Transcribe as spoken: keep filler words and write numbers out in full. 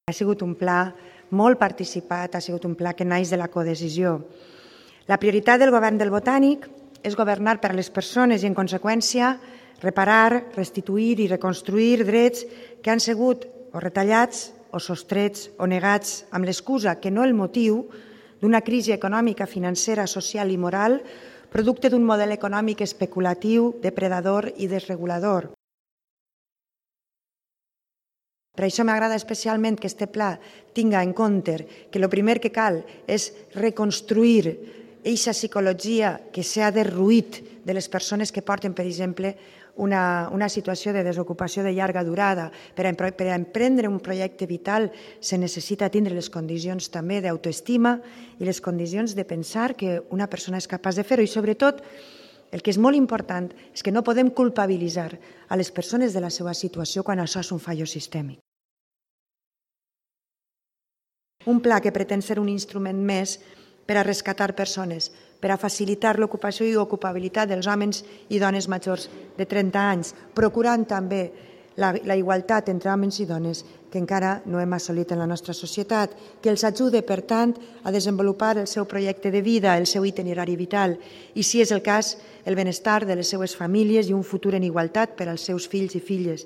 Ha sigut un pla molt participat, ha sigut un pla que naix de la codecisió. La prioritat del govern del Botànic és governar per a les persones i, en conseqüència, reparar, restituir i reconstruir drets que han sigut o retallats o sostrets o negats amb l'excusa que no el motiu d'una crisi econòmica, financera, social i moral producte d'un model econòmic especulatiu, depredador i desregulador. Per això m'agrada especialment que aquest pla tinga en compte que el primer que cal és reconstruir aquesta psicologia que s'ha derruït de les persones que porten, per exemple, una, una situació de desocupació de llarga durada. Per a, per a emprendre un projecte vital se necessita tindre les condicions també d'autoestima i les condicions de pensar que una persona és capaç de fer-ho. I sobretot, el que és molt important és que no podem culpabilitzar a les persones de la seva situació quan això és un fallo sistèmic. Un pla que pretén ser un instrument més per a rescatar persones, per a facilitar l'ocupació i ocupabilitat dels homes i dones majors de trenta anys, procurant també la, la igualtat entre homes i dones que encara no hem assolit en la nostra societat, que els ajude, per tant, a desenvolupar el seu projecte de vida, el seu itinerari vital i, si és el cas, el benestar de les seues famílies i un futur en igualtat per als seus fills i filles.